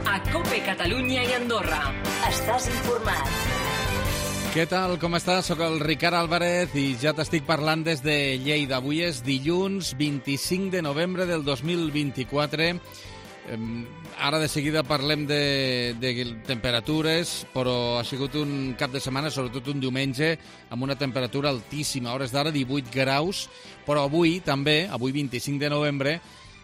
a COPE Catalunya i Andorra. Estàs informat. Què tal, com estàs? Soc el Ricard Álvarez i ja t'estic parlant des de Lleida. Avui és dilluns 25 de novembre del 2024. Ara de seguida parlem de temperatures, però ha sigut un cap de setmana, sobretot un diumenge, amb una temperatura altíssima. A hores d'ara 18 graus, però avui també, avui 25 de novembre,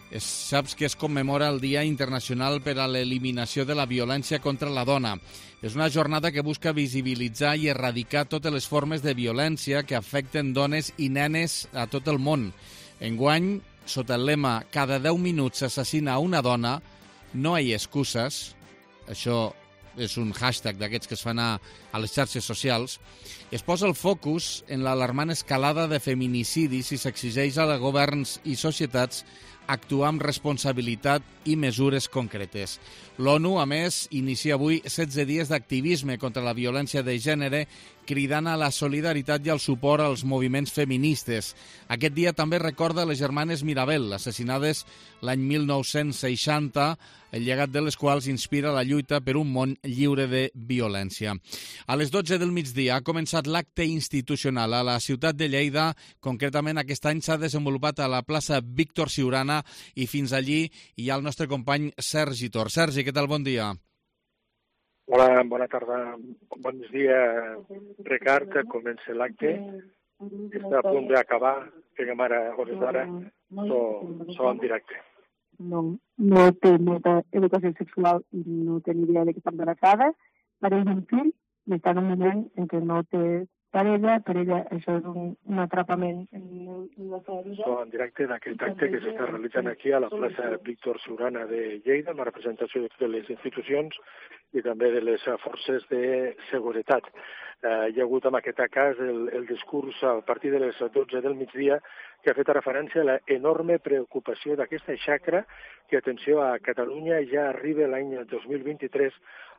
saps que es commemora el Dia Internacional per a l'Eliminació de la Violència contra la Dona. És una jornada que busca visibilitzar i erradicar totes les formes de violència que afecten dones i nenes a tot el món. Enguany, sota el lema «Cada 10 minuts s'assassina una dona, no hi ha excuses», això és un hashtag d'aquests que es fan a les xarxes socials, es posa el focus en l'alarmant escalada de feminicidis i s'exigeix a governs i societats actuar amb responsabilitat i mesures concretes. L'ONU, a més, inicia avui 16 dies d'activisme contra la violència de gènere, cridant a la solidaritat i al suport als moviments feministes. Aquest dia també recorda les germanes Mirabel, assassinades l'any 1960, el llegat de les quals inspira la lluita per un món lliure de violència. A les 12 del migdia ha començat l'acte institucional a la ciutat de Lleida. Concretament, aquest any s'ha desenvolupat a la plaça Víctor Siurana i fins allí hi ha el nostre company Sergi Tor. Sergi, què tal? Bon dia. Hola, bona tarda. Bon dia, Ricard. Comença l'acte. Està a punt d'acabar. Fèiem ara, a hores d'ara, so en directe. No té molta educació sexual i no té ni idea de que està embarassada. Pareix un fill i està en un moment en què no té parella. Per ella això és un atrapament en la seva vida. So en directe d'aquest acte que s'està realitzant aquí a la plaça Víctor Siurana de Lleida, amb la representació de totes les institucions i també de les forces de seguretat. Hi ha hagut en aquest cas el discurs a partir de les 12 del migdia que ha fet referència a l'enorme preocupació d'aquesta xacra que, atenció, a Catalunya ja arriba l'any 2023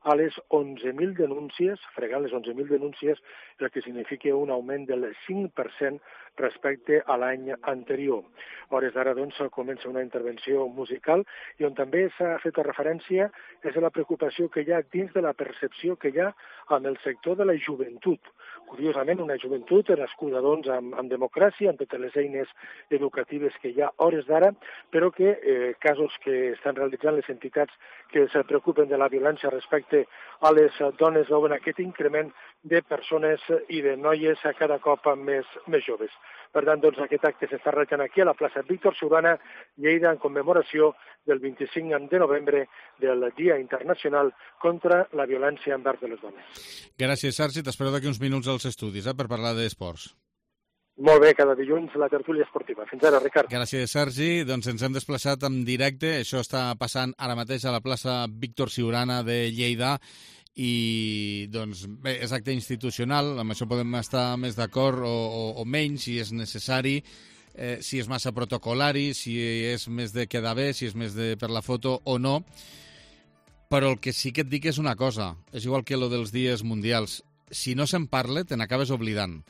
a les 11.000 denúncies, fregant les 11.000 denúncies, el que significa un augment del 5% respecte a l'any anterior. A hores d'ara, doncs, comença una intervenció musical i on també s'ha fet referència és a la preocupació que hi ha dins de la percepció que hi ha amb el sector de la joventut. Curiosament, una joventut nascuda, doncs, amb democràcia, amb totes les eines educatives que hi ha a hores d'ara, però que casos que estan realitzant les entitats que es preocupen de la violència respecte a les dones veuen aquest increment de persones i de noies cada cop més joves. Per tant, doncs, aquest acte s'està realitzant aquí a la plaça Víctor Siurana, Lleida, en commemoració del 25 de novembre del Dia Internacional contra la Violència envers les dones. Gràcies, Sergi. T'espero d'aquí uns minuts als estudis per parlar d'esports. Molt bé, cada dilluns la tertúlia esportiva. Fins ara, Ricard. Gràcies, Sergi. Doncs ens hem desplaçat en directe. Això està passant ara mateix a la plaça Víctor Siurana de Lleida. I, doncs, bé, és acte institucional. Amb això podem estar més d'acord o menys, si és necessari, si és massa protocolari, si és més de quedar bé, si és més de per la foto o no. Però el que sí que et dic és una cosa. És igual que lo dels dies mundials. Si no se'n parla, te n'acabes oblidant.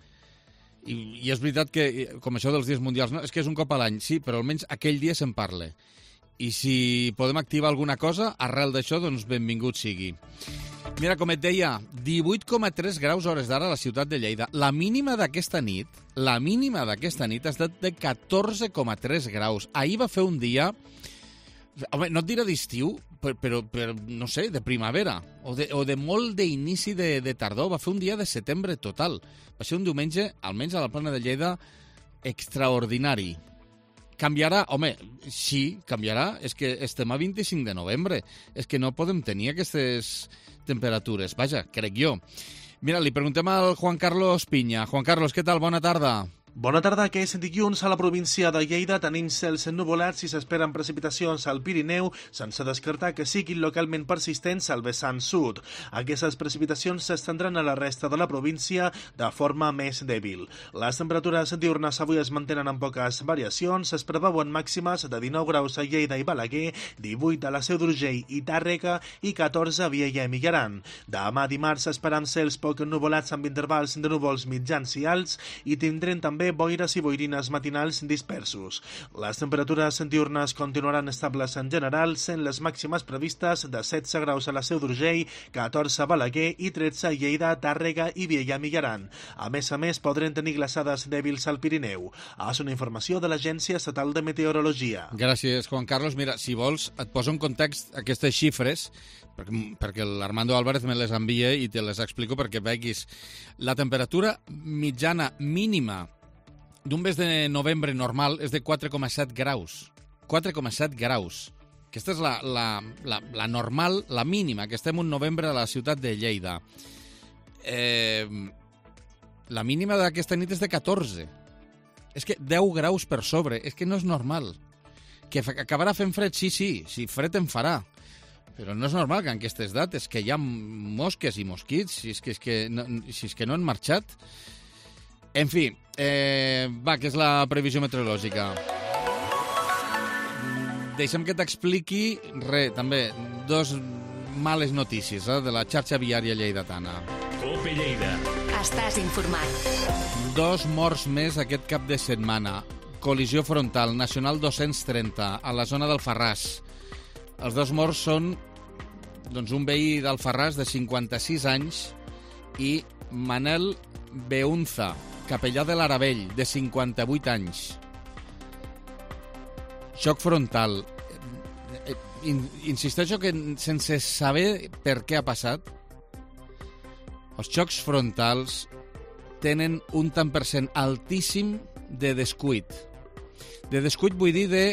I és veritat que, com això dels dies mundials, no, és que és un cop a l'any, sí, però almenys aquell dia se'n parla. I si podem activar alguna cosa, arrel d'això, doncs benvingut sigui. Mira, com et deia, 18,3 graus a hores d'ara a la ciutat de Lleida. La mínima d'aquesta nit ha estat de 14,3 graus. Ahir va fer un dia, home, no et diré d'estiu, però no sé, de primavera, o de molt d'inici de tardor. Va fer un dia de setembre total. Va ser un diumenge, almenys a la plana de Lleida, extraordinari. Canviarà? Home, sí, canviarà. És que estem a 25 de novembre. És que no podem tenir aquestes temperatures. Vaja, crec jo. Mira, li preguntem al Juan Carlos Piña. Juan Carlos, què tal? Bona tarda. Bona tarda, que és dilluns a la província de Lleida. Tenim cels ennuvolats i s'esperen precipitacions al Pirineu, sense descartar que siguin localment persistents al vessant sud. Aquestes precipitacions s'estendran a la resta de la província de forma més dèbil. Les temperatures diurnes avui es mantenen amb poques variacions. Es preveuen màximes de 19 graus a Lleida i Balaguer, 18 a la Seu d'Urgell i Tàrrega i 14 a Vielha i Migjorn. Demà dimarts esperam cels poc ennuvolats amb intervals de núvols mitjans i alts i tindrem també també boires i boirines matinals dispersos. Les temperatures diurnes continuaran estables en general, sent les màximes previstes de 16 graus a la Seu d'Urgell, 14 a Balaguer i 13 a Lleida, Tàrrega i Viella Millaran. A més, podrem tenir glaçades dèbils al Pirineu. És una informació de l'Agència Estatal de Meteorologia. Gràcies, Juan Carlos. Mira, si vols, et poso en context aquestes xifres, perquè l'Armando Álvarez me les envia i te les explico perquè veguis. La temperatura mitjana mínima d'un mes de novembre normal és de 4,7 graus. 4,7 graus. Aquesta és la normal, la mínima, que estem un novembre a la ciutat de Lleida. La mínima d'aquesta nit és de 14. És que 10 graus per sobre. És que no és normal. Que acabarà fent fred? Sí, fred en farà. Però no és normal que en aquestes dates que hi ha mosques i mosquits, si és que no han marxat. En fi, que és la previsió meteorològica. Deixa'm que t'expliqui, també, dos males notícies de la xarxa viària lleidatana. Cope Lleida. Estàs informat. 2 morts més aquest cap de setmana. Col·lisió frontal, Nacional 230, a la zona d'Alfarràs. Els 2 morts són un veí d'Alfarràs de 56 anys i Manel Beunza, capellà de l'Aravell, de 58 anys. Xoc frontal. Insisteixo que sense saber per què ha passat, els xocs frontals tenen un tant per cent altíssim de descuit. De descuit vull dir de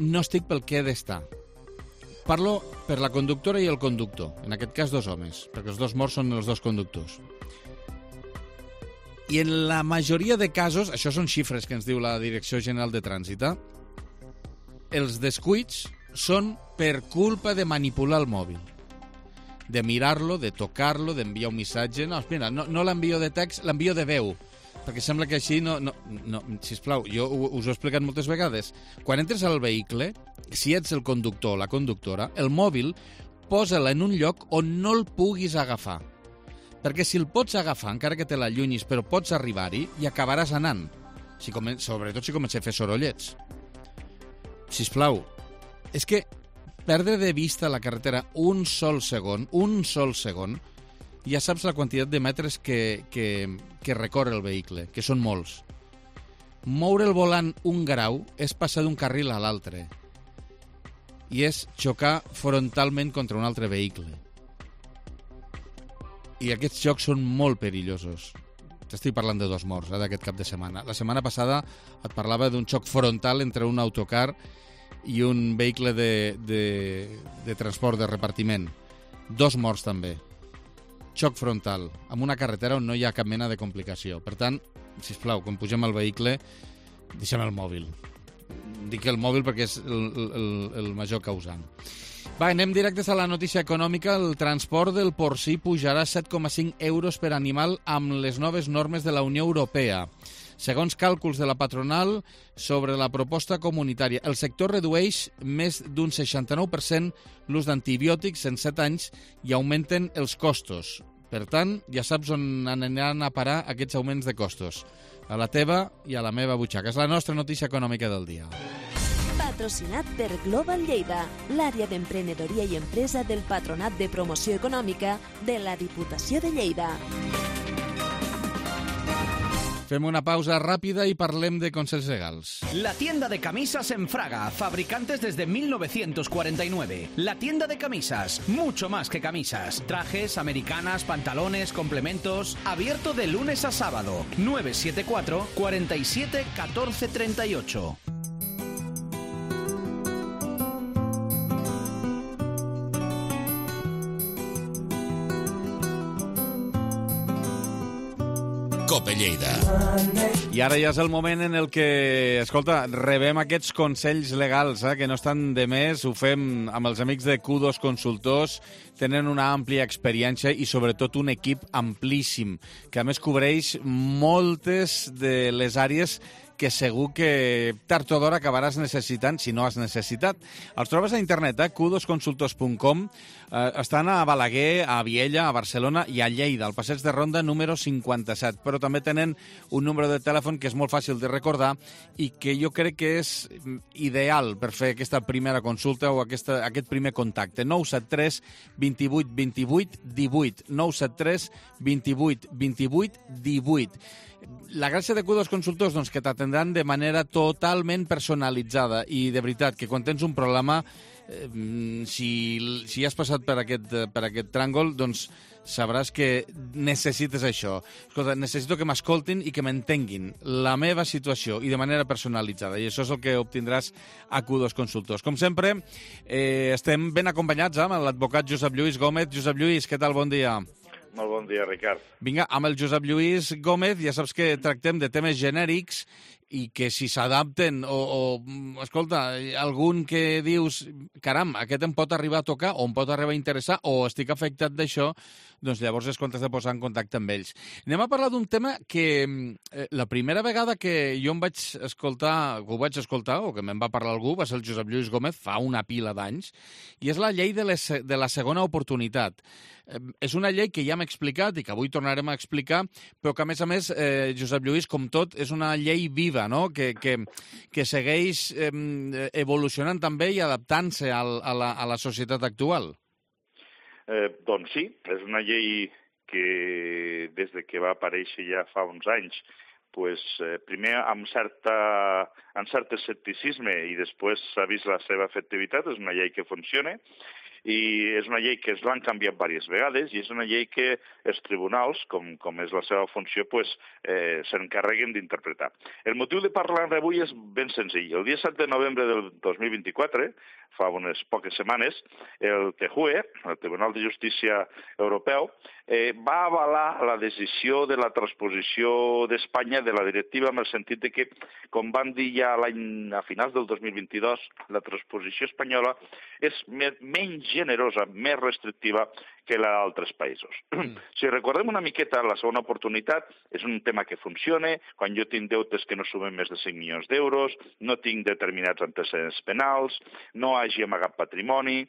no estic pel que he d'estar. Parlo per la conductora i el conductor, en aquest cas 2 homes, perquè els 2 morts són els 2 conductors. I en la majoria de casos, això són xifres que ens diu la Direcció General de Trànsit, els descuits són per culpa de manipular el mòbil. De mirar-lo, de tocar-lo, d'enviar un missatge. No, mira, no l'envio de text, l'envio de veu. Perquè sembla que així no, sisplau, jo us ho he explicat moltes vegades. Quan entres al vehicle, si ets el conductor o la conductora, el mòbil posa-la en un lloc on no el puguis agafar. Perquè si el pots agafar, encara que te l'allunyis, però pots arribar-hi, i acabaràs anant. Sobretot si comença a fer sorollets. Sisplau, és que perdre de vista la carretera un sol segon, ja saps la quantitat de metres que recorre el vehicle, que són molts. Moure el volant 1 grau és passar d'un carril a l'altre. I és xocar frontalment contra un altre vehicle. I aquests xocs són molt perillosos. T'estic parlant de 2 morts d'aquest cap de setmana. La setmana passada et parlava d'un xoc frontal entre un autocar i un vehicle de transport de repartiment. 2 morts també. Xoc frontal, amb una carretera on no hi ha cap mena de complicació. Per tant, sisplau, quan pugem al vehicle, deixem el mòbil. Dic el mòbil perquè és el major causant. Va, anem directes a la notícia econòmica. El transport del porcí pujarà 7,5 euros per animal amb les noves normes de la Unió Europea. Segons càlculs de la patronal sobre la proposta comunitària, el sector redueix més d'un 69% l'ús d'antibiòtics en 7 anys i augmenten els costos. Per tant, ja saps on aniran a parar aquests augments de costos. A la teva i a la meva butxaca. És la nostra notícia econòmica del dia. Patrocinat per Global Lleida, l'àrea d'emprenedoria i empresa del Patronat de Promoció Econòmica de la Diputació de Lleida. Fem una pausa rápida y parlem de consells legals. La tienda de camisas en Fraga, fabricantes desde 1949. La tienda de camisas, mucho más que camisas. Trajes, americanas, pantalones, complementos. Abierto de lunes a sábado. 974 47 14 38. Cope Lleida. I ara ja és el moment en el que, escolta, rebem aquests consells legals, que no estan de més. Ho fem amb els amics de Q2 Consultors. Tenen una àmplia experiència i sobretot un equip amplíssim, que a més cobreix moltes de les àrees que segur que tard o d'hora acabaràs necessitant, si no has necessitat. Els trobes a internet, qdosconsultors.com. Estan a Balaguer, a Viella, a Barcelona i a Lleida, al passeig de Ronda número 57. Però també tenen un número de telèfon que és molt fàcil de recordar i que jo crec que és ideal per fer aquesta primera consulta o aquest primer contacte. 973 28 28 18. 973 28 28 18. La gràcia de Q2 Consultors, doncs, que t'atendran de manera totalment personalitzada i, de veritat, que quan tens un problema, si has passat per aquest tràngol, doncs sabràs que necessites això. Escolta, necessito que m'escoltin i que m'entenguin la meva situació i de manera personalitzada. I això és el que obtindràs a Q2 Consultors. Com sempre, estem ben acompanyats amb l'advocat Josep Lluís Gómez. Josep Lluís, què tal? Bon dia. Molt bon dia, Ricard. Vinga, amb el Josep Lluís Gómez ja saps que tractem de temes genèrics i que si s'adapten escolta, algun que dius, caram, aquest em pot arribar a tocar o em pot arribar a interessar o estic afectat d'això, doncs llavors és quan t'has de posar en contacte amb ells. Anem a parlar d'un tema que la primera vegada que jo ho vaig escoltar o que me'n va parlar algú va ser el Josep Lluís Gómez fa una pila d'anys, i és la llei de la segona oportunitat. És una llei que ja hem explicat i que avui tornarem a explicar, però que, a més, Josep Lluís, com tot, és una llei viva, no? que segueix evolucionant també i adaptant-se a la societat actual. Doncs sí, és una llei que des de que va aparèixer ja fa uns anys, primer amb cert escepticisme i després s'ha vist la seva efectivitat, és una llei que funciona, i és una llei que es l'han canviat diverses vegades i és una llei que els tribunals, com és la seva funció, s'encarreguen d'interpretar. El motiu de parlar avui és ben senzill. El dia 7 de novembre del 2024, fa unes poques setmanes, el TJUE, el Tribunal de Justícia Europeu, va avalar la decisió de la transposició d'Espanya de la directiva en el sentit de que, com van dir ja a finals del 2022, la transposició espanyola és menys generosa, més restrictiva que la d'altres països. Si recordem una miqueta la segona oportunitat, és un tema que funciona, quan jo tinc deutes que no sumen més de 5 milions d'euros, no tinc determinats antecedents penals, no hagi amagat patrimoni,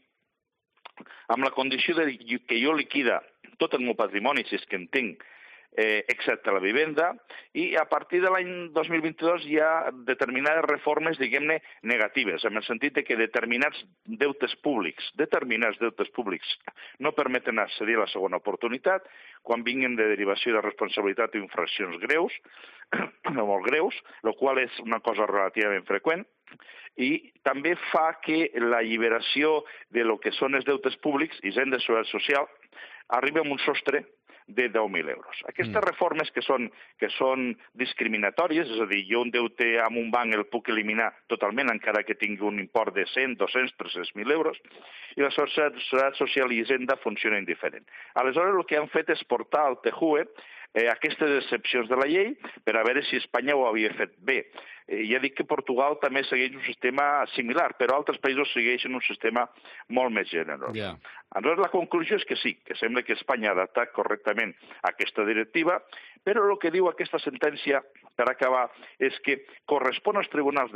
amb la condició de que jo liquida tot el meu patrimoni, si és que en tinc, excepte la vivenda, i a partir de l'any 2022 hi ha determinades reformes, diguem-ne, negatives, en el sentit que determinats deutes públics no permeten accedir a la segona oportunitat quan vinguin de derivació de responsabilitat o infraccions greus, no molt greus, el qual és una cosa relativament freqüent, i també fa que l'alliberació de lo que són els deutes públics i gent de seguretat social arribi a un sostre de 10.000 euros. Aquestes reformes que són discriminatòries, és a dir, jo un deute amb un banc el puc eliminar totalment encara que tingui un import de 100, 200, 300.000 euros, i la societat social i hisenda funcionen diferent. Aleshores, el que han fet és portar al TJUE aquestes excepcions de la llei per a veure si Espanya ho havia fet bé. Ja dic que Portugal també segueix un sistema similar, però altres països segueixen un sistema molt més generós. Aleshores, la conclusió és que sí, que sembla que Espanya ha adaptat correctament aquesta directiva, però el que diu aquesta sentència, per acabar, és que correspon als tribunals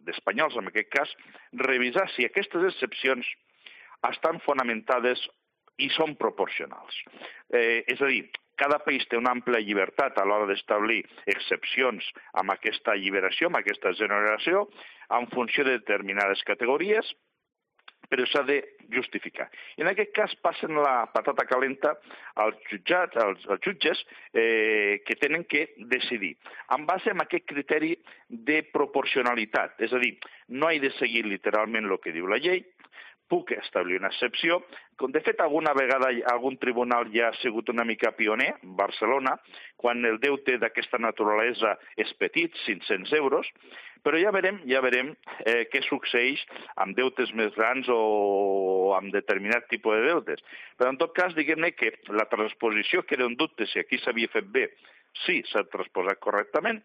espanyols, en aquest cas, revisar si aquestes excepcions estan fonamentades i són proporcionals. És a dir, cada país té una àmplia llibertat a l'hora d'establir excepcions amb aquesta alliberació, amb aquesta generació, en funció de determinades categories, però s'ha de justificar. I en aquest cas passen la patata calenta als jutges que tenen que decidir en base a aquest criteri de proporcionalitat. És a dir, no he de seguir literalment el que diu la llei, puc establir una excepció. De fet, alguna vegada algun tribunal ja ha sigut una mica pioner, Barcelona, quan el deute d'aquesta naturalesa és petit, 500 euros, però ja verem què succeeix amb deutes més grans o amb determinat tipus de deutes. Però en tot cas, diguem-ne que la transposició, que era un dubte si aquí s'havia fet bé, sí, s'ha transposat correctament,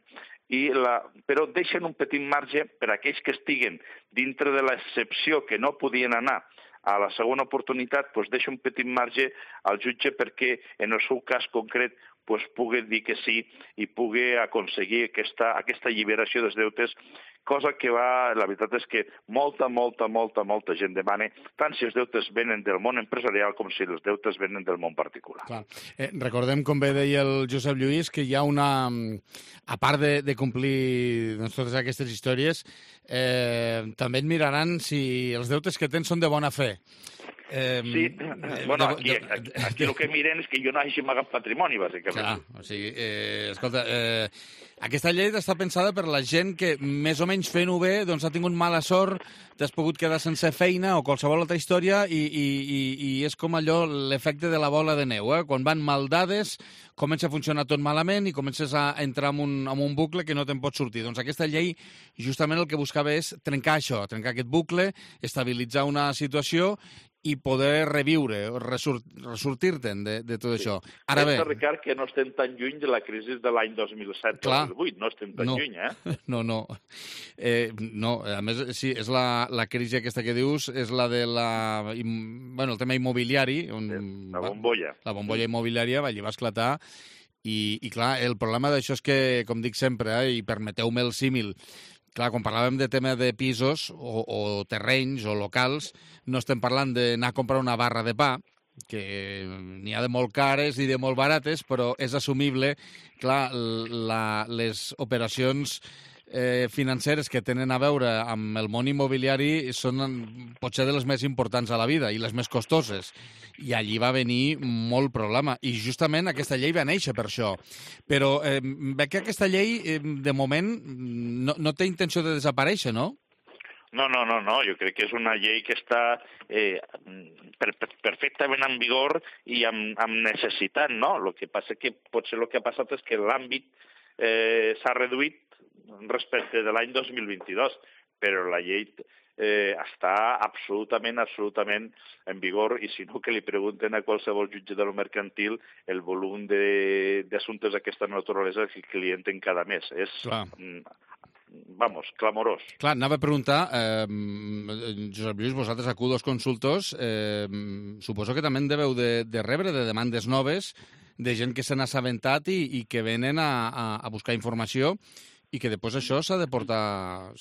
però deixen un petit marge per a aquells que estiguen dintre de l'excepció que no podien anar a la segona oportunitat deixa un petit marge al jutge perquè en el seu cas concret pugui dir que sí i pugui aconseguir aquesta alliberació dels deutes, cosa que la veritat és que molta gent demana, tant si els deutes venen del món empresarial com si els deutes venen del món particular. Clar. Recordem, com bé deia el Josep Lluís, que hi ha una... A part de complir totes aquestes històries, també et miraran si els deutes que tens són de bona fe. Sí, bueno, aquí el que miren és que jo no hagi amagat patrimoni, bàsicament. Clar, o sigui, escolta, aquesta llei està pensada per la gent que, més o menys fent-ho bé, doncs ha tingut mala sort, t'has pogut quedar sense feina o qualsevol altra història i és com allò, l'efecte de la bola de neu, Quan van mal dades, comença a funcionar tot malament i comences a entrar en un bucle que no te'n pots sortir. Doncs aquesta llei justament el que buscava és trencar això, trencar aquest bucle, estabilitzar una situació i poder reviure, ressortir-te'n de tot això. Ara bé... Pensa, Ricard, que no estem tan lluny de la crisi de l'any 2007-2008. No estem tan lluny, No. No, a més, sí, és la crisi aquesta que dius, és la de el tema immobiliari. La bombolla. La bombolla immobiliària allà va esclatar i clar, el problema d'això és que, com dic sempre, i permeteu-me el símil, clar, quan parlàvem de tema de pisos o terrenys o locals, no estem parlant d'anar a comprar una barra de pa, que n'hi ha de molt cares i de molt barates, però és assumible, clar, les operacions financeres que tenen a veure amb el món immobiliari són potser de les més importants a la vida i les més costoses. I allí va venir molt problema. I justament aquesta llei va néixer per això. Però veig que aquesta llei, de moment, no té intenció de desaparèixer, no? No. Jo crec que és una llei que està perfectament en vigor i amb necessitat, no? El que passa que potser el que ha passat és que l'àmbit s'ha reduït respecte de l'any 2022, però la llei està absolutament en vigor i si no que li pregunten a qualsevol jutge de lo mercantil el volum d'assumptes d'aquesta naturalesa que li entren cada mes. És, clamorós. Clar, anava a preguntar, Josep Lluís, vosaltres acudos consultors, suposo que també en deveu de rebre de demandes noves de gent que se n'ha assabentat i que venen a buscar informació i que després això s'ha de tirar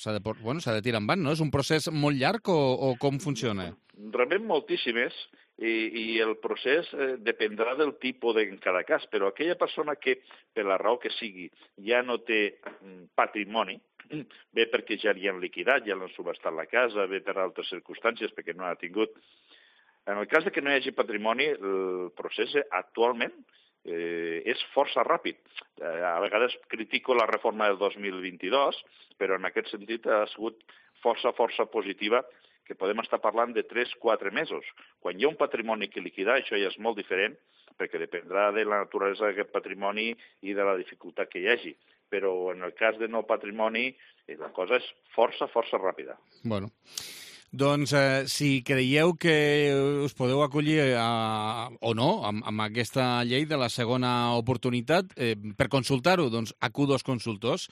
endavant, no? És un procés molt llarg o com funciona? Rebem moltíssimes i el procés dependrà del tipus en cada cas, però aquella persona que, per la raó que sigui, ja no té patrimoni, bé perquè ja li han liquidat, ja l'han subhastat la casa, bé per altres circumstàncies, perquè no ha tingut... En el cas que no hi hagi patrimoni, el procés actualment és força ràpid. A vegades critico la reforma del 2022, però en aquest sentit ha sigut força positiva, que podem estar parlant de 3-4 mesos. Quan hi ha un patrimoni que liquidar, això ja és molt diferent, perquè dependrà de la naturalesa d'aquest patrimoni i de la dificultat que hi hagi. Però en el cas de no patrimoni, la cosa és força ràpida. Bueno... Doncs si creieu que us podeu acollir o no amb aquesta llei de la segona oportunitat, per consultar-ho, doncs acudos consultors,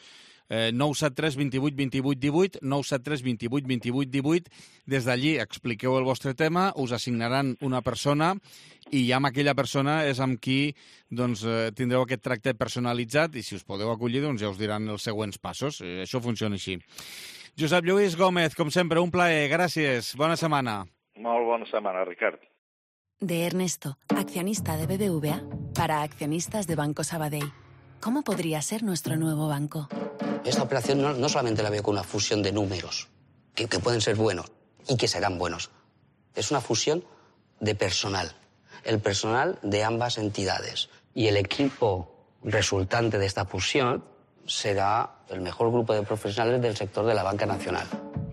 973 28 28 18, 973 28 28 18, des d'allí expliqueu el vostre tema, us assignaran una persona i amb aquella persona és amb qui doncs, tindreu aquest tracte personalitzat i si us podeu acollir doncs, ja us diran els següents passos. Això funciona així. Josep Lluís Gómez, com sempre, un plaer. Gràcies. Bona setmana. Molt bona setmana, Ricard. De Ernesto, accionista de BBVA, para accionistas de Banco Sabadell. ¿Cómo podría ser nuestro nuevo banco? Esta operación no solamente la veo como una fusión de números, que pueden ser buenos y que serán buenos. Es una fusión de personal. El personal de ambas entidades. Y el equipo resultante de esta fusión será el mejor grupo de profesionales del sector de la banca nacional.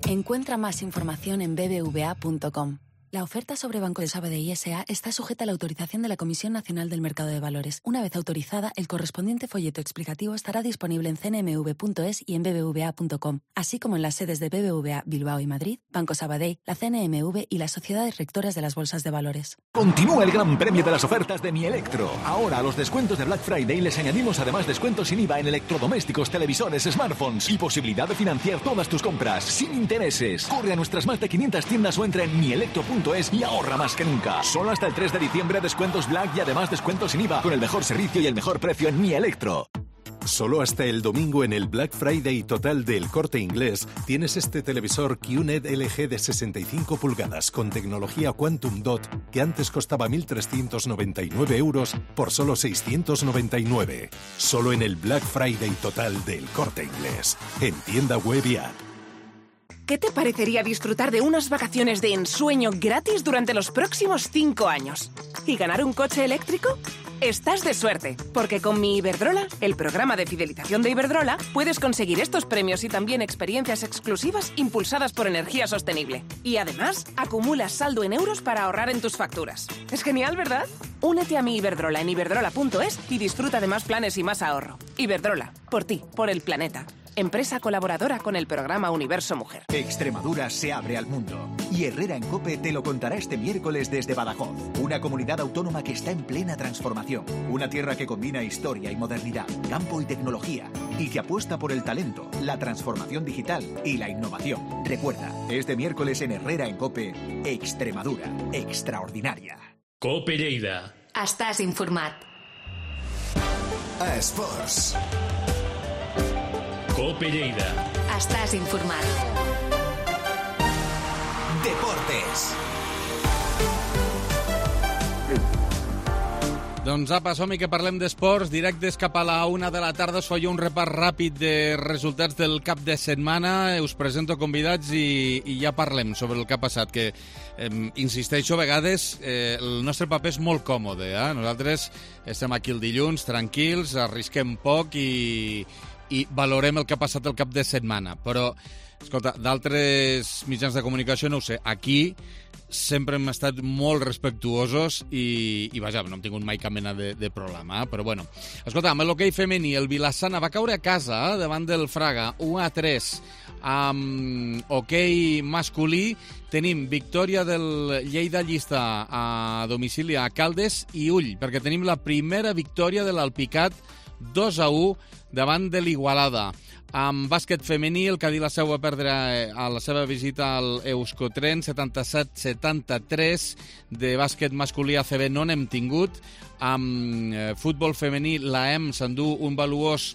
Encuentra más información en bbva.com. La oferta sobre Banco de Sabadell S.A. está sujeta a la autorización de la Comisión Nacional del Mercado de Valores. Una vez autorizada, el correspondiente folleto explicativo estará disponible en cnmv.es y en bbva.com, así como en las sedes de BBVA Bilbao y Madrid, Banco Sabadell, la CNMV y las sociedades rectoras de las bolsas de valores. Continúa el gran premio de las ofertas de Mi Electro. Ahora a los descuentos de Black Friday les añadimos además descuentos sin IVA en electrodomésticos, televisores, smartphones y posibilidad de financiar todas tus compras sin intereses. Corre a nuestras más de 500 tiendas o entra en mielectro.com iberdrola.es y ahorra más que nunca. Solo hasta el 3 de diciembre descuentos Black y además descuentos sin IVA con el mejor servicio y el mejor precio en Mi Electro. Solo hasta el domingo en el Black Friday total del Corte Inglés tienes este televisor QNED LG de 65 pulgadas con tecnología Quantum Dot que antes costaba 1.399 euros por solo 699. Solo en el Black Friday total del Corte Inglés. En tienda web y app. ¿Qué te parecería disfrutar de unas vacaciones de ensueño gratis durante los próximos 5 años? ¿Y ganar un coche eléctrico? Estás de suerte, porque con Mi Iberdrola, el programa de fidelización de Iberdrola, puedes conseguir estos premios y también experiencias exclusivas impulsadas por energía sostenible. Y además, acumulas saldo en euros para ahorrar en tus facturas. Es genial, ¿verdad? Únete a Mi Iberdrola en iberdrola.es y disfruta de más planes y más ahorro. Iberdrola, por ti, por el planeta. Empresa colaboradora con el programa Universo Mujer. Extremadura se abre al mundo y Herrera en COPE te lo contará este miércoles desde Badajoz, una comunidad autónoma que está en plena transformación, una tierra que combina historia y modernidad, campo y tecnología y que apuesta por el talento, la transformación digital y la innovación. Recuerda, este miércoles en Herrera en COPE, Extremadura, extraordinaria. COPE Lleida. Estàs informat. Esports. COPE Lleida. Estàs informat. Deportes. Doncs apa, som-hi que parlem d'esports. Directes cap a la 1 de la tarda us faig un repàs ràpid de resultats del cap de setmana. Us presento convidats i ja parlem sobre el que ha passat, que insisteixo, a vegades el nostre paper és molt còmode. Nosaltres estem aquí el dilluns, tranquils, arrisquem poc i valorem el que ha passat el cap de setmana. Però, escolta, d'altres mitjans de comunicació no ho sé. Aquí sempre hem estat molt respectuosos i vaja, no hem tingut mai cap mena de problema. Però bueno, escolta, amb l'hoquei femení, el Vilassana va caure a casa davant del Fraga, 1-3. Amb hoquei masculí tenim victòria del Lleida Llista a domicili a Caldes i ull, perquè tenim la primera victòria de l'Alpicat 2-1 davant de l'Igualada. Amb bàsquet femení, el Cadí la Seu va perdre a la seva visita al Euskotren 77-73. De bàsquet masculí ACB no n'hem tingut. Amb futbol femení, l'AEM s'endú un valuós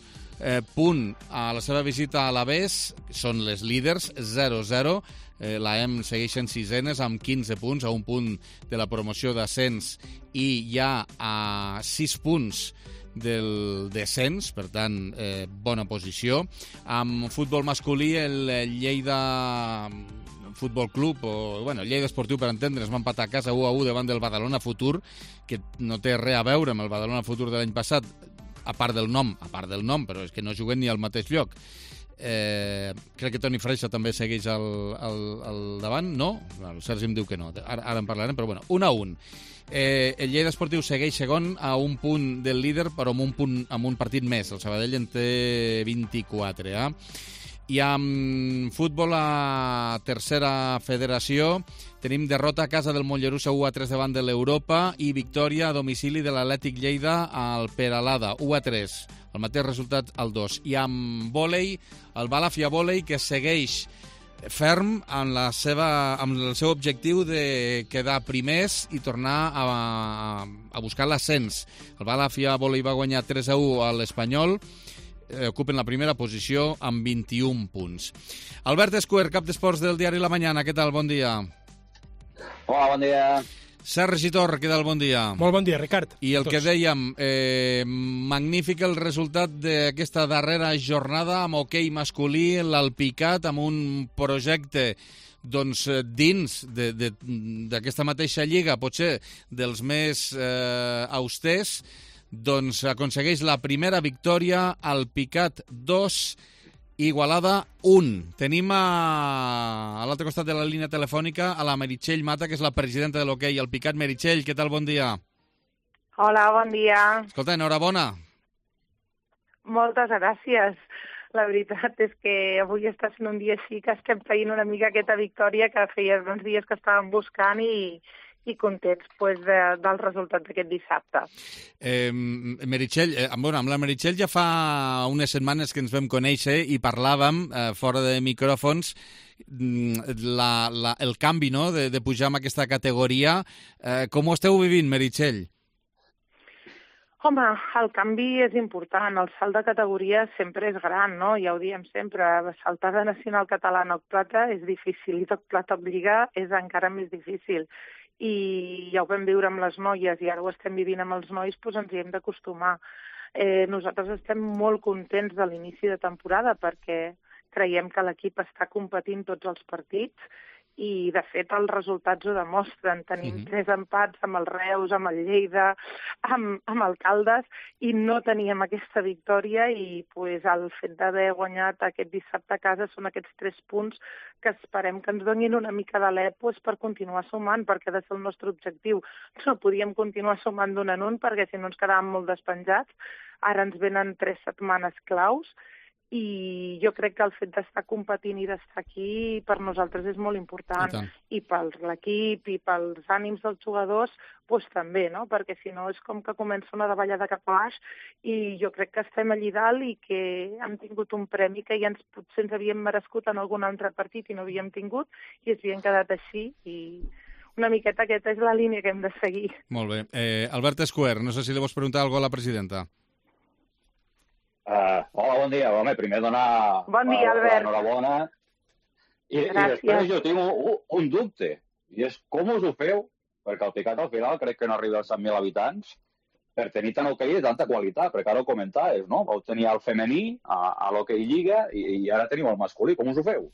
punt a la seva visita a l'Aves. Són les líders, 0-0. L'AEM segueixen sisenes amb 15 punts, a un punt de la promoció d'ascens i ja a 6 punts del descens, per tant, bona posició. Amb futbol masculí, el Lleida Futbol Club, o bueno, Lleida Esportiu, per entendre's, va empatar a casa 1-1 davant del Badalona Futur, que no té res a veure amb el Badalona Futur de l'any passat, a part del nom, però és que no juguen ni al mateix lloc. Crec que Toni Freixa també segueix al davant, no? El Sergi em diu que no, ara en parlarem, però bueno, 1-1. El Lleida Esportiu segueix segon a un punt del líder, però amb un partit més. El Sabadell en té 24. I amb futbol a tercera federació tenim derrota a casa del Mollerussa 1-3 davant de l'Europa i victòria a domicili de l'Atlètic Lleida al Peralada 1-3, el mateix resultat al 2. I amb vòlei, el Balàfia Vòlei, que segueix ferm amb el seu objectiu de quedar primers i tornar a buscar l'ascens. El Balàfia Vòlei va guanyar 3-1 a l'Espanyol, ocupen la primera posició amb 21 punts. Albert Escuer, cap d'esports del diari La Mañana, què tal? Bon dia. Hola, bon dia. Sergi Torr, què tal? Bon dia. Molt bon dia, Ricard. I el que dèiem, magnífic el resultat d'aquesta darrera jornada amb hoquei masculí, l'Alpicat, amb un projecte doncs, dins d'aquesta mateixa lliga, potser dels més austers, doncs aconsegueix la primera victòria, Alpicat 2, Igualada 1. Tenim a l'altre costat de la línia telefònica a la Meritxell Mata, que és la presidenta de l'hoquei Alpicat. Meritxell, què tal? Bon dia. Hola, bon dia. Escolta, enhorabona. Moltes gràcies. La veritat és que avui està sent un dia així que estem veient una mica aquesta victòria que feia uns dies que estàvem buscant i contents del resultat d'aquest dissabte. Meritxell, amb la Meritxell ja fa unes setmanes que ens vam conèixer i parlàvem, fora de micròfons, el canvi, no?, de pujar en aquesta categoria. Com ho esteu vivint, Meritxell? Home, el canvi és important. El salt de categoria sempre és gran, no? Ja ho diem sempre. Saltar de nacional catalana a plata és difícil i de plata a lliga és encara més difícil. I ja ho vam viure amb les noies i ara ho estem vivint amb els nois, doncs ens hi hem d'acostumar. Nosaltres estem molt contents de l'inici de temporada perquè creiem que l'equip està competint tots els partits i, de fet, els resultats ho demostren. Tenim 3 empats amb el Reus, amb el Lleida, amb el Caldes, i no teníem aquesta victòria i el fet d'haver guanyat aquest dissabte a casa són aquests 3 punts que esperem que ens donin una mica d'alè per continuar sumant, perquè ha de ser el nostre objectiu. No podíem continuar sumant d'un en un perquè si no ens quedàvem molt despenjats. Ara ens venen 3 setmanes claus i jo crec que el fet d'estar competint i d'estar aquí per nosaltres és molt important. I per l'equip i pels ànims dels jugadors també, no? Perquè si no és com que comença una davallada cap a baix i jo crec que estem allí dalt i que hem tingut un premi que ja potser ens havíem merescut en algun altre partit i no havíem tingut i ens havíem quedat així i una miqueta aquesta és la línia que hem de seguir. Molt bé. Albert Escuer, no sé si li vols preguntar alguna cosa a la presidenta. Hola, bon dia. Home, primer donar l'enhorabona. I després jo tinc un dubte, i és com us ho feu, perquè el Picat al final crec que no arriba als 100.000 habitants, per tenir tant hoquei de tanta qualitat, perquè ara ho comentaves, no? Vau tenir el femení a l'hoquei Lliga i ara teniu el masculí. Com us ho feu?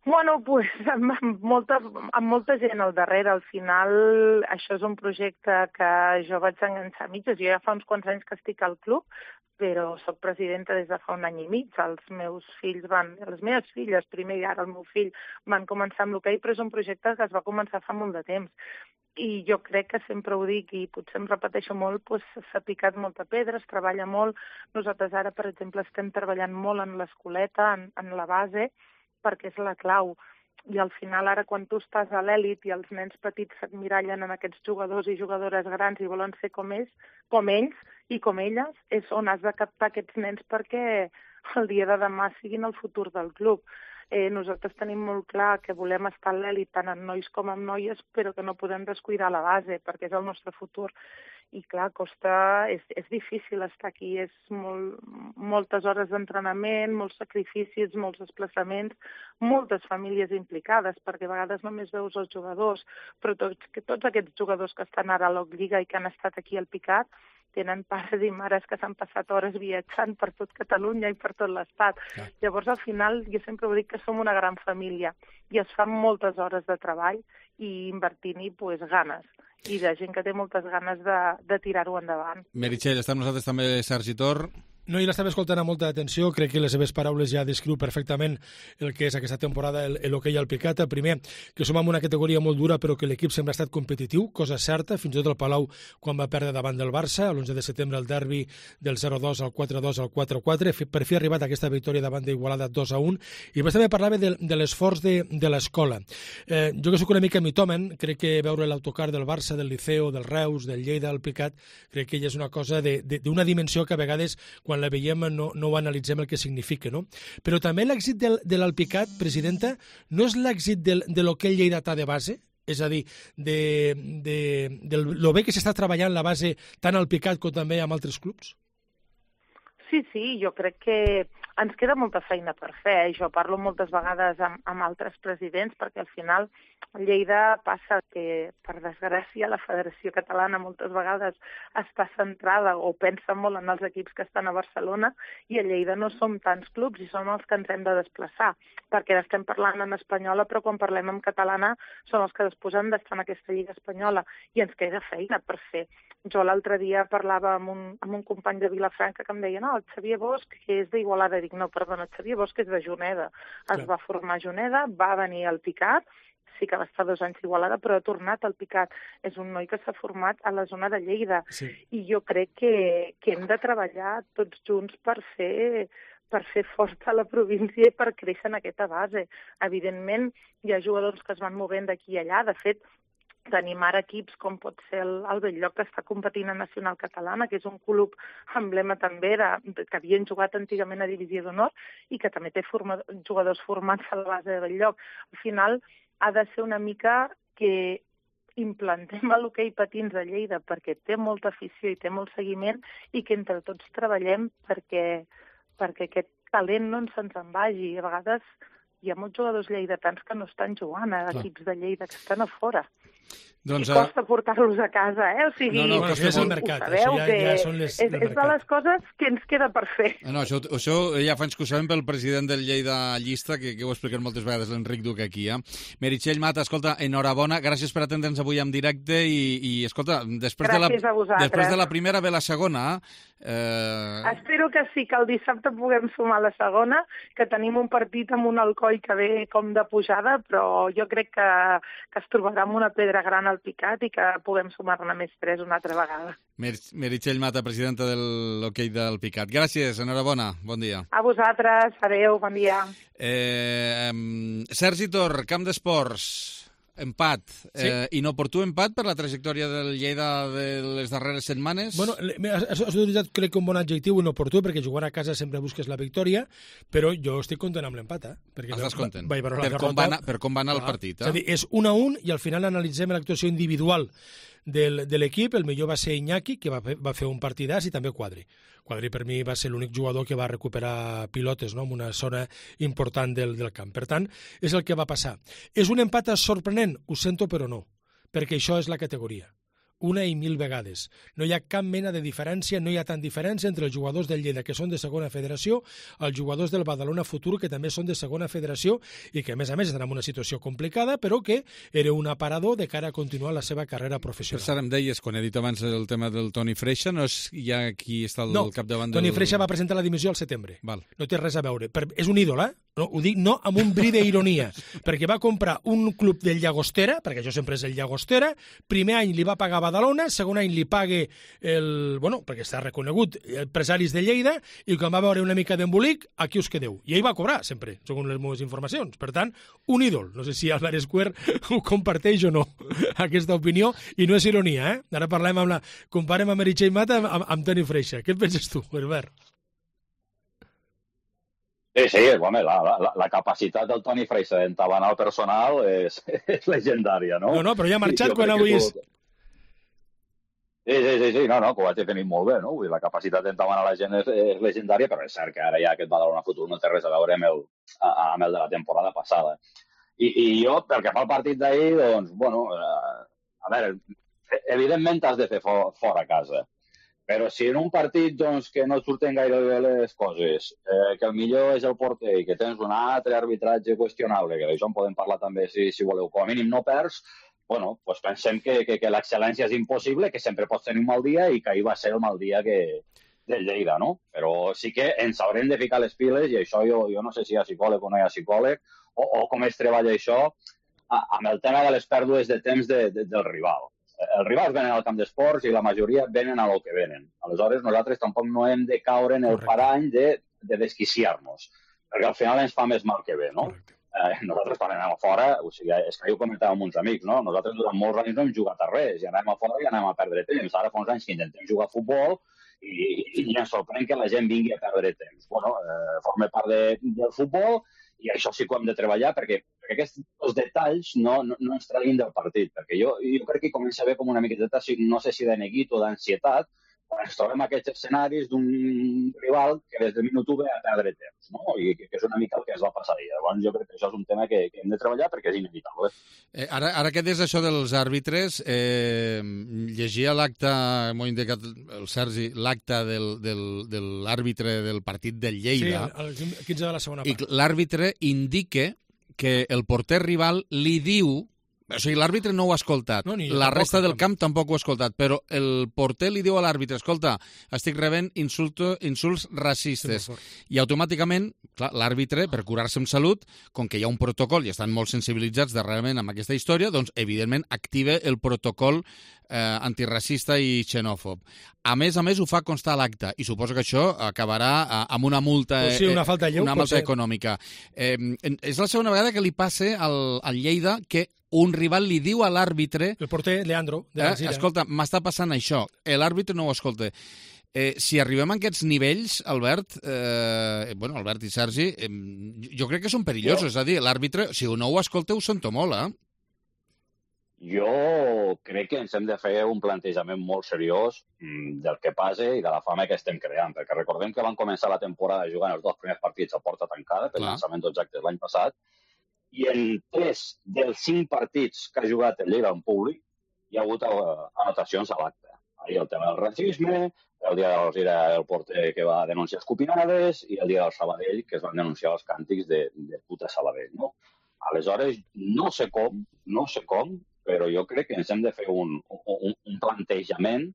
Bueno, amb molta gent al darrere. Al final, això és un projecte que jo vaig enganxar a mitges. Jo ja fa uns quants anys que estic al club, però soc presidenta des de fa un any i mig. Les meves filles, primer i ara el meu fill, van començar amb l'hoquei, però és un projecte que es va començar fa molt de temps. I jo crec que sempre ho dic, i potser em repeteixo molt, s'ha picat molta pedra, es treballa molt. Nosaltres ara, per exemple, estem treballant molt en l'escoleta, en la base, perquè és la clau. I al final, ara, quan tu estàs a l'èlit i els nens petits s'admirallen en aquests jugadors i jugadores grans i volen ser com ells i com elles, és on has de captar aquests nens perquè el dia de demà siguin el futur del club. Nosaltres tenim molt clar que volem estar a l'èlit tant en nois com en noies, però que no podem descuidar la base, perquè és el nostre futur. I clar, és difícil estar aquí, és moltes hores d'entrenament, molts sacrificis, molts desplaçaments, moltes famílies implicades, perquè a vegades només veus els jugadors, però tots aquests jugadors que estan ara a l'Oc-Lliga i que han estat aquí al Picat tenen pares i mares que s'han passat hores viatjant per tot Catalunya i per tot l'Estat. Llavors, al final, jo sempre ho dic que som una gran família i es fan moltes hores de treball i invertint-hi ganes. I de gent que té moltes ganes de tirar-ho endavant. Meritxell, està amb nosaltres també Sergi Tor. No, i l'estava escoltant amb molta atenció, crec que les seves paraules ja descriu perfectament el que és aquesta temporada l'hoquei al Picat. Primer, que som en una categoria molt dura però que l'equip sempre ha estat competitiu, cosa certa, fins i tot el Palau quan va perdre davant del Barça, l'11 de setembre el derbi del 0-2 al 4-2 al 4-4, per fi ha arribat aquesta victòria davant d'Igualada 2-1, i després també parlava de l'esforç de l'escola. Jo que soc una mica mitòmen, crec que veure l'autocar del Barça, del Liceo, del Reus, del Lleida, del Picat, crec que ja és una cosa d'una dimensió que a vegades quan la veiem no ho analitzem el que significa, no? Però també l'èxit de l'Alpicat, presidenta, no és l'èxit de l'hoquei lleidatà de base? És a dir, de lo bé que s'està treballant la base tant al Picat com també amb altres clubs? Sí, jo crec que ens queda molta feina per fer. Jo parlo moltes vegades amb altres presidents perquè al final a Lleida passa que, per desgràcia, la Federació Catalana moltes vegades està centrada o pensa molt en els equips que estan a Barcelona i a Lleida no som tants clubs i som els que ens hem de desplaçar perquè estem parlant en espanyola però quan parlem en catalana som els que disposem d'estar en aquesta Lliga espanyola i ens queda feina per fer. Jo l'altre dia parlava amb un company de Vilafranca que em deia no, el Xavier Bosch, que és d'Igualada. Dic, no, perdona, el Xavier Bosch és de Juneda. Es va formar a Juneda, va venir al Picat, sí que va estar 2 anys a Igualada, però ha tornat al Picat. És un noi que s'ha format a la zona de Lleida. Sí. I jo crec que hem de treballar tots junts per fer forta la província i per créixer en aquesta base. Evidentment, hi ha jugadors que es van movent d'aquí i allà. De fet, tenim ara equips com pot ser el Bell-lloc, que està competint a Nacional Catalana, que és un club emblema també que havien jugat antigament a Divisió d'Honor i que també té jugadors formats a la base de Bell-lloc. Al final ha de ser una mica que implantem l'hoquei patins a Lleida perquè té molta afició i té molt seguiment i que entre tots treballem perquè aquest talent no se'ns en vagi. A vegades hi ha molts jugadors lleidatans que no estan jugant a equips de Lleida, que estan a fora. Doncs, I costa portar-los a casa, O sigui, és el mercat. Sabeu ja són és de les coses que ens queda per fer. No, això ja fa anys que ho sabem pel president del Lleida Llista, que ho he explicat moltes vegades l'Enric Duc aquí. Meritxell Mata, escolta, enhorabona, gràcies per atendre'ns avui en directe i escolta, després de la primera ve la segona. Espero que sí, que el dissabte puguem sumar la segona, que tenim un partit amb un Alcoi que ve com de pujada, però jo crec que es trobarà amb una pedra gran al Picat i que puguem sumar-ne més 3 una altra vegada. Meritxell Mata, presidenta de l'hoquei del Picat. Gràcies, enhorabona, bon dia. A vosaltres, adeu, bon dia. Sergi Tor, Camp d'Esports, empat, inoportú empat per la trajectòria del Lleida de les darreres setmanes? Bueno, has utilitzat, crec, un bon adjectiu, inoportú, perquè jugant a casa sempre busques la victòria, però jo estic content amb l'empat, Estàs content? Per com va anar el partit, És a dir, és 1-1 i al final analitzem l'actuació individual de l'equip. El millor va ser Iñaki, que va fer un partidàs, i també Quadri. Quadri per mi va ser l'únic jugador que va recuperar pilotes, en una zona important del camp. Per tant, és el que va passar. És un empat sorprenent? Ho sento, però no, perquè això és la categoria. 1 i 1000 vegades. No hi ha cap mena de diferència, no hi ha tant diferència entre els jugadors del Lleida, que són de segona federació, els jugadors del Badalona Futur, que també són de segona federació i que, a més estan en una situació complicada, però que era un aparador de cara a continuar la seva carrera professional. Per cert, em deies, quan he dit abans el tema del Toni Freixa, no és ja qui està al capdavant del... Toni Freixa va presentar la dimissió al setembre. Val. No té res a veure. És un ídol, No, ho dic no amb un bri d'ironia, perquè va comprar un club del Llagostera, perquè això sempre és el Llagostera, primer any li va pagar Badalona, segon any li paga perquè està reconegut, empresaris de Lleida, i quan va veure una mica d'embolic, aquí us quedeu. I ell va cobrar, sempre, segons les meves informacions. Per tant, un ídol. No sé si Álvarez Cuer ho comparteix o no, aquesta opinió, i no és ironia, Ara comparem amb Meritxell Mata amb Toni Freixa. Què et penses tu, Herbert? Sí, home, la capacitat del Toni Freixa d'entabanar el personal és legendària, no? No, però ja ha marxat quan avui és... Sí, que ho vaig definir molt bé, no? Vull dir, la capacitat d'entabanar la gent és legendària, però és cert que ara ja aquest Badalona Futur no té res a veure amb el de la temporada passada. I jo, pel que fa al partit d'ahir, doncs, a veure, evidentment has de fer fora a casa. Però si en un partit que no et surten gaire bé les coses, que el millor és el porter i que tens un altre arbitratge qüestionable, que d'això en podem parlar també si voleu, com a mínim no perds, doncs pensem que l'excel·lència és impossible, que sempre pots tenir un mal dia i que ahir va ser el mal dia del Lleida, no? Però sí que ens haurem de ficar les piles, i això jo no sé si hi ha psicòleg o no hi ha psicòleg, o com es treballa això, amb el tema de les pèrdues de temps del rival. Els rivals venen al camp d'esports i la majoria venen a lo que venen. Aleshores, nosaltres tampoc no hem de caure en el parany de desquiciar-nos, perquè al final ens fa més mal que bé, no? Nosaltres quan anem a fora, o sigui, és que jo comentava amb uns amics, no? Nosaltres durant molts anys no hem jugat a res, i anem a fora i anem a perdre temps. Ara fa uns anys que intentem jugar a futbol i ens sorprèn que la gent vingui a perdre temps. Forma part del futbol, i això sí que ho hem de treballar, perquè aquests detalls no ens treguin del partit, perquè jo crec que comença a haver com una miqueta, no sé si de neguit o d'ansietat, quan ens trobem aquests escenaris d'un rival que des del minut 1 ve a perdre temps, no? I que és una mica el que es va passar ahir. Llavors jo crec que això és un tema que hem de treballar perquè és inevitable. Ara que des això dels àrbitres, llegia l'acte, m'ho ha indicat el Sergi, l'acte de l'àrbitre del partit del Lleida. Sí, el 15 de la segona part. I l'àrbitre indica que el porter rival li diu... O sigui, l'àrbitre no ho ha escoltat, la resta del camp tampoc ho ha escoltat, però el porter li diu a l'àrbitre, escolta, estic rebent insults racistes, i automàticament, clar, l'àrbitre, per curar-se amb salut, com que hi ha un protocol i estan molt sensibilitzats darrerament amb aquesta història, doncs, evidentment, activa el protocol antiracista i xenòfob. A més, ho fa constar a l'acte, i suposo que això acabarà amb una multa, una falta de lleu, una multa econòmica. És la segona vegada que li passa al Lleida que un rival li diu a l'àrbitre... El porter Leandro, de l'Alzira. Escolta, m'està passant això. L'àrbitre no ho escolta. Si arribem a aquests nivells, Albert, Albert i Sergi, jo crec que són perillosos. És a dir, l'àrbitre, si no ho escolta, ho sento molt, Jo crec que ens hem de fer un plantejament molt seriós del que passa i de la fama que estem creant, perquè recordem que van començar la temporada jugant els 2 primers partits a porta tancada, per llançament d'objectes l'any passat, i en 3 dels 5 partits que ha jugat el Lleida en públic hi ha hagut anotacions a l'acte. Ahir el tema del racisme, el dia de l'Alzira el porter que va denunciar escopinades i el dia del Sabadell que es van denunciar els càntics de puta Sabadell, no? Aleshores, no sé com, però jo crec que ens hem de fer un plantejament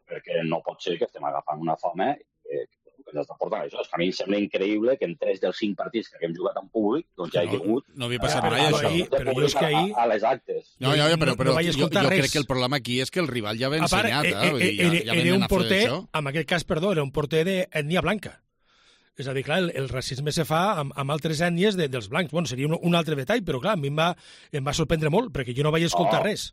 perquè no pot ser que estem agafant una fama que ens està portant això. És que a mi em sembla increïble que en 3 dels 5 partits que hem jugat en públic doncs ja hi ha hagut... No havia passat mai això. Però jo és que ahir... A les actes. No, però jo crec que el problema aquí és que el rival ja va ensenyat. Era un porter, en aquest cas, perdó, era un porter d'ètnia blanca. És a dir, clar, el racisme se fa amb altres ètnies dels blancs. Bueno, seria un altre detall, però clar, a mi em va sorprendre molt, perquè jo no vaig escoltar res.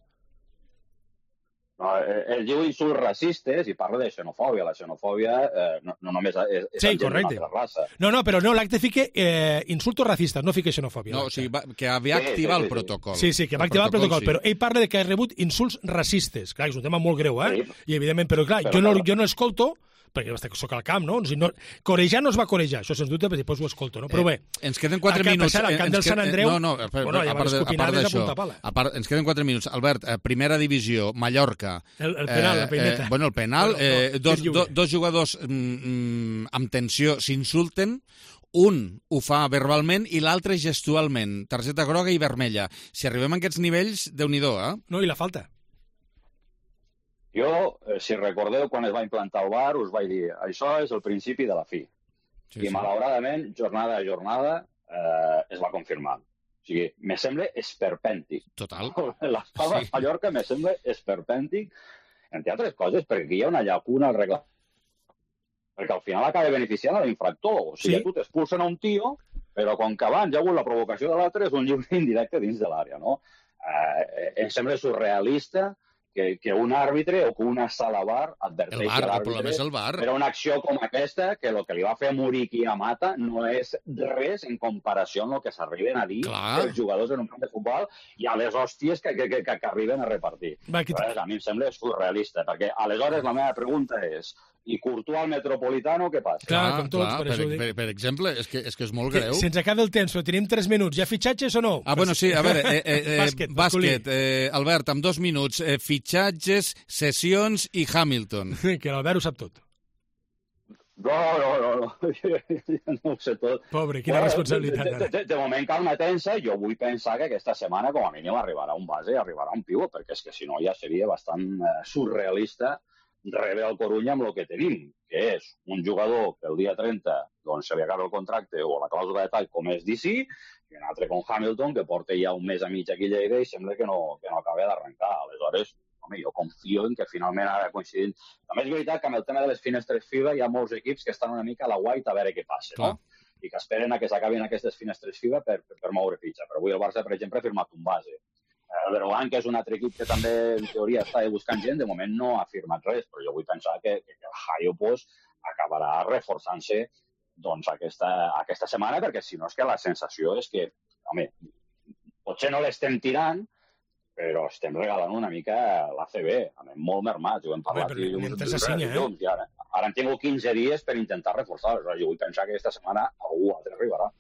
No, ell diu insults racistes i parla de xenofòbia. La xenofòbia no només és d'una altra raça. No, però no, l'acte fica insultos racistes, no fica xenofòbia. No, o sigui, que havia activat el protocol. Sí, que va activar el protocol, però ell parla de que ha rebut insults racistes. Clar, és un tema molt greu, I evidentment, però clar, jo no escolto, perquè soc al camp, no? Corejar no es va corejar, això sens dubte, perquè després ho escolto, no? Però bé... Ens queden 4 minuts. Al camp del Sant Andreu... a part d'això, ens queden 4 minuts. Albert, primera divisió, Mallorca... El penal, la peineta. El penal, dos jugadors amb tensió s'insulten, un ho fa verbalment i l'altre gestualment, targeta groga i vermella. Si arribem a aquests nivells, Déu-n'hi-do, No, i la falta. Jo, si recordeu, quan es va implantar el VAR, us vaig dir, això és el principi de la fi. I malauradament, jornada a jornada, es va confirmar. O sigui, me sembla esperpèntic. Total. L'estava a Mallorca me sembla esperpèntic, entre altres coses, perquè hi ha una llacuna al reglament. Perquè al final acaba beneficiant a l'infractor. O sigui, tu t'expulsen a un tio, però com que abans hi ha hagut la provocació de l'altre, és un lliure indirecte dins de l'àrea, no? Em sembla surrealista que un àrbitre o que una sala VAR adverteixi l'àrbitre per una acció com aquesta, que el que li va fer a Muriqui a Mata no és res en comparació amb el que s'arriben a dir els jugadors en un camp de futbol i a les hòsties que arriben a repartir. A mi em sembla surrealista, perquè aleshores la meva pregunta és i Courtois al Metropolitano, què passa? Clar, com tots, per això ho dic. Per exemple, és que és molt greu. Se'ns acaba el temps, però tenim 3 minuts. Hi ha fitxatges o no? Bueno, sí, a veure, bàsquet, Albert, amb 2 minuts, fitxatges, sessions i Hamilton. Que l'Albert ho sap tot. No, no ho sé tot. Pobre, quina responsabilitat. De moment, calma tensa, jo vull pensar que aquesta setmana com a mínim arribarà un base i arribarà un pivot, perquè és que si no ja seria bastant surrealista rebre el Corunya amb el que tenim, que és un jugador que el dia 30 doncs, se li acaba el contracte o la clàusula de tall com és DC, i un altre com Hamilton, que porta ja un mes a mig aquí a Lleida i sembla que no acaba d'arrencar. Aleshores, home, jo confio en que finalment ara coincidint. També és veritat que amb el tema de les finestres FIBA hi ha molts equips que estan una mica a la guaita a veure què passa, no? I que esperen a que s'acabin aquestes finestres FIBA per moure fitxa. Però avui el Barça, per exemple, ha firmat un base. El Berguedà, que és un altre equip que també, en teoria, està buscant gent, de moment no ha firmat res, però jo vull pensar que el Hayopos acabarà reforçant-se doncs, aquesta setmana, perquè si no és que la sensació és que, home, potser no l'estem tirant, però estem regalant una mica l'ACB, molt mermats, ho hem parlat. Ara hem tingut 15 dies per intentar reforçar, jo vull pensar que aquesta setmana algú altre arribarà.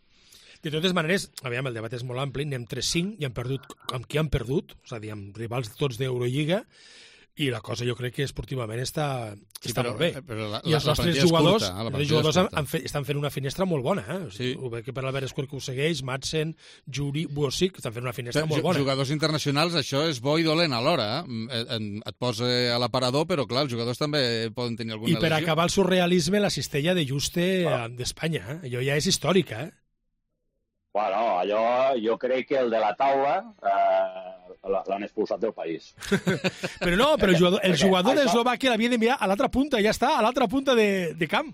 De totes maneres, aviam, el debat és molt ampli, anem 3-5 i han perdut amb qui han perdut, és a dir, amb rivals tots d'Eurolliga, i la cosa jo crec que esportivament està molt bé. I els nostres jugadors estan fent una finestra molt bona. Ho veig que per l'Albert Escuer que ho segueix, Madsen, Juri, Buosic, estan fent una finestra molt bona. Jugadors internacionals, això és bo i dolent alhora. Et posa a l'aparador, però clar, els jugadors també poden tenir alguna lesió. I per acabar el surrealisme, la cistella de Juste d'Espanya. Allò ja és històrica, Bueno, allò, jo crec que el de la taula, l'han expulsat del país. Però no, però el jugador d'Eslovàquia l'havia d'enviar a l'altra punta, ja està, a l'altra punta de camp.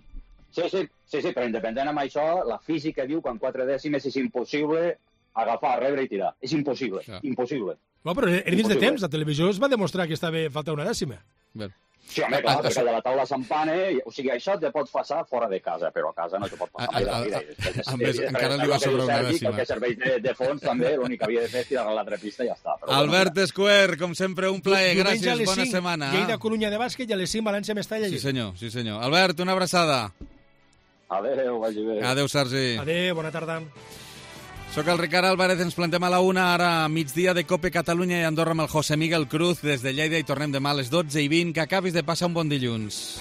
Sí, però independent amb això, la física diu que en 4 dècimes és impossible agafar, rebre i tirar. És impossible, impossible. No, però era dins de temps, la televisió es va demostrar que estava falta una dècima. Sí, home, clar, perquè de la taula s'empane, o sigui, això te pots passar fora de casa, però a casa no te pot passar mai de la vida. A més, encara li va sobrar una dècima. El que serveix de fons també, l'únic que havia de fer és tirar a l'altra pista i ja està. Albert Escuer, com sempre, un plaer. Gràcies, bona setmana. Lleida-Corunya de bàsquet i a les 5 València-Mestalla. Sí, senyor. Albert, una abraçada. Adéu, vagi bé. Adéu, Sergi. Adéu, bona tarda. Soc el Ricard Álvarez, ens plantem a la 1, ara a migdia de Cope Catalunya i Andorra amb el José Miguel Cruz des de Lleida i tornem demà a les 12:20. Que acabis de passar un bon dilluns.